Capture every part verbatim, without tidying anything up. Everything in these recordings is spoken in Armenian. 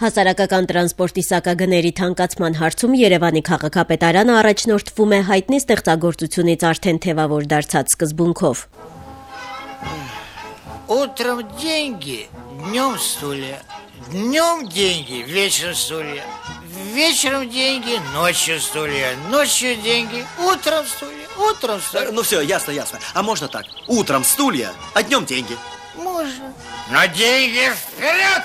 Հասարակական տրանսպորտի սակագների թանկացման հարցում Երևանի քաղաքապետարանը առաջնորդվում է հայտնի ստեղծագործությունից արդեն թևավոր դարձած սկզբունքով։ Утром деньги, днем стулья, днем деньги, вечером стулья, вечером деньги, ночью стулья, ночью деньги, утром стулья, утром стулья. Ну все, ясно, ясно. А можно так? Утром стулья, а днем деньги. Можно. Но деньги вперед!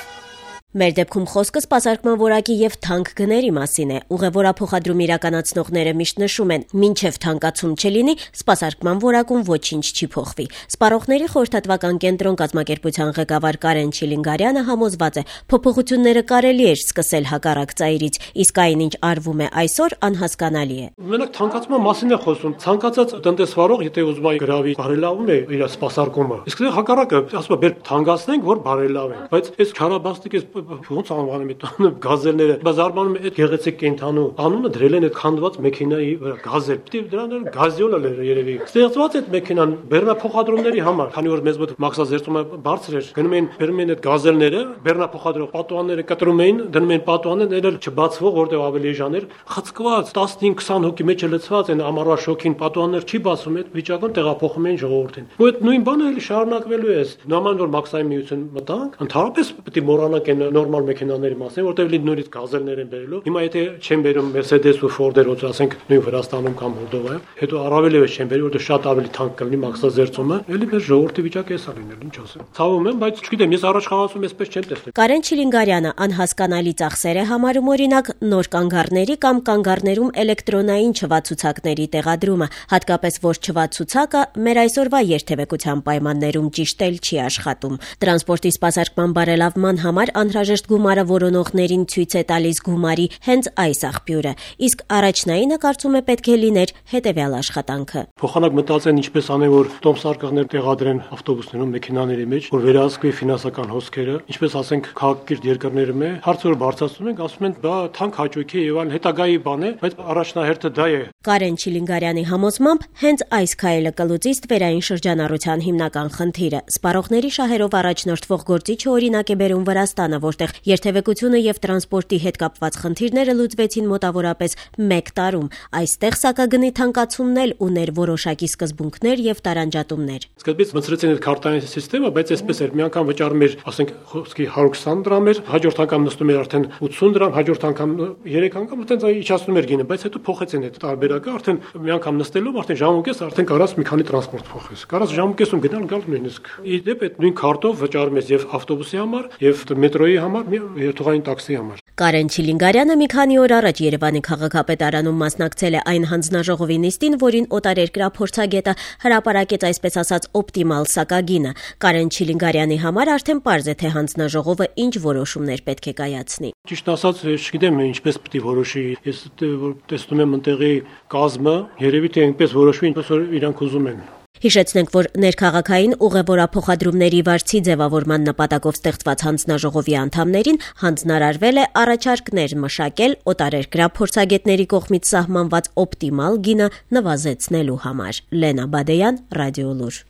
Մեր դեպքում խոսքը սպասարկման որակի եւ թանկ գների մասին է։ Ուղևորափոխադրում իրականացնողները միշտ նշում են, մինչեւ թանկացում չլինի, սպասարկման որակում ոչինչ չի փոխվի։ Սպառողների խորհրդատվական կենտրոն կազմակերպության ղեկավար Կարեն Չիլինգարյանը համոզված է, փոփոխությունները կարելի է սկսել հակառակ ծայրից, իսկ այն ինչ արվում է այսօր անհասկանալի է։ Մենակ թանկացման մասին է խոսում։ Ցանկացած տնտեսվարող, եթե ուզում է գրավի, բարելավում է իր սպասարկումը։ Իսկ դե հակառակը, ասում է, բեր թանկացնենք, որ բարելավենք։ Բայց այս քարաբաստիկ էս ոնց անվանում է գազելները, բայց արմանում է այդ գեղեցիկ կենթանու անունը դրել են այդ քանդված մեքենայի վրա գազել։ Պիտի դրանով գազիոլ է երևի։ Ստեղծված այդ մեքենան բեռնափոխադրումների համար, քանի որ մեզ մոտ մաքսազերծումը բարձր էր, գնում են բերում են այդ գազելները, բեռնափոխադրող պատուհանները կտրում էին, դնում են պատուհանը, ներել չբացվող, որտեղ ավելի էժան էր, խցկված տասնհինգ քսան հոգի մեջ լցված են ամառվա շոքին, պատուհաններ չի բացում, այդ վիճակում տեղափոխում են ժողովրդին։ Ու այդ նույն բանը էլի շարունակվելու է։ Նման որ մաքսային միություն մտանք, ընդհանրապես պետք է մոռանանք այն նորմալ մեքենաների մասին, որտեղ լի նորից գազելներ են բերելու։ Հիմա եթե չեն բերում Mercedes ու Ford-եր, ոնց ասենք նույն Վրաստանում կամ Մոլդովայում, հետո առավել եւս չեն բերի, որտեղ շատ ավելի թանկ կլինի մաքսազերծումը, էլի մեր ժողովրդի վիճակը էսա լինել, ինչ ասեմ։ Ցավում եմ, բայց չգիտեմ, ես առաջ խաղացում էսպես չեմ տեսել։ Կարեն Չիլինգարյանը անհասկանալի ծախսեր է համարում օրինակ նոր կանգառների կամ կանգառներում էլեկտրոնային չվացուցակների տեղադրումը, հատկապես որ չվացուցակը մեր այսօրվա երթևեկության պայմաններում ճիշտ էլ չի աշխատում։ Տրանսպորտի սպասարկման բարելավման համար անհրաժեշտ գումարը որոնողներին ցույց է տալիս գումարի հենց այս աղբյուրը, իսկ առաջնայինը կարծում է պետք է լիներ հետևյալ աշխատանքը։ Փոխանակ մտածեն ինչպես անեն, որ տոմսարկղներ տեղադրեն ավտոբուսներում, մեքենաների մեջ, որ վերահսկվի ֆինանսական հոսքերը, ինչպես ասենք քաղաքակիրթ երկրներում է, հարցը որ բարձրացնում են, ասում են դա թանկ հաճույք է եւ այլ հետագայի բան է, բայց առաջնահերթը դա է։ Կարեն Չիլինգարյանի համոզմամբ հենց այս քայլը կլուծի ստվերային շրջանառության հիմնական խնդիրը։ Սպառողների շահերով առաջնորդվող գործիչը օրինակ է բերում Վրաստանը, որտեղ երթևեկությունը եւ տրանսպորտի հետ կապված խնդիրները լուծվեցին մոտավորապես մեկ տարում։ Այստեղ սակագնի թանկացումն էլ ուներ որոշակի սկզբունքներ եւ տարանջատումներ։ Սկզբից մտցրեցին այդ քարտային համակարգը, բայց այսպես էր, մի անգամ վճարում էր, ասենք, խոսքի հարյուր քսան դրամ էր, հաջորդ անգամ նստում էր արդեն ութսուն դրամ, հաջորդ անգամ երեք անգամ այդպես իջացնում էր գինը, բայց հետո փոխեցին այդ տարբերակը, արդեն մի անգամ նստելով արդեն ժամուկես արդեն կարաս մի քանի տրանսպորտ փոխես։ Կարաս ժամուկեսում գնալ գալ նույնիսկ։ Իդեպ այդ նույն քարտով վճարում ես եւ ավտոբուսի համար, եւ մետրոյի համար, երթուղային տաքսի համար։ Կարեն Չիլինգարյանը մի քանի օր առաջ Երևանի քաղաքապետարանում մասնակցել է այն հանձնաժողովի նիստին, որին օտարերկրյա փորձագետը հրապարակեց այսպես ասած օպտիմալ սակագինը։ Կարեն Չիլինգարյանի համար արդեն պարզ է, թե հանձնաժողովը ինչ որոշումներ պետք է կայացնի։ Ճիշտ ասած, չգիտեմ ինչպես պետք է որոշի։ Ես որ տեսնում եմ ընտեղի կազմը, երևի թե այնպես որոշվի, ինչպես որ իրանք ուզում են։ Հիշեցնենք, որ ներքաղաքային ուղևորափոխադրումների վարձի ձևավորման նպատակով ստեղծված հանձնաժողովի անդամներին հանձնարարվել է առաջարկներ մշակել օտարերկրյա փորձագետների կողմից սահմանված օպտիմալ գինը նվազեցնելու համար։ Լենա Բադեյան, Ռադիոլուր։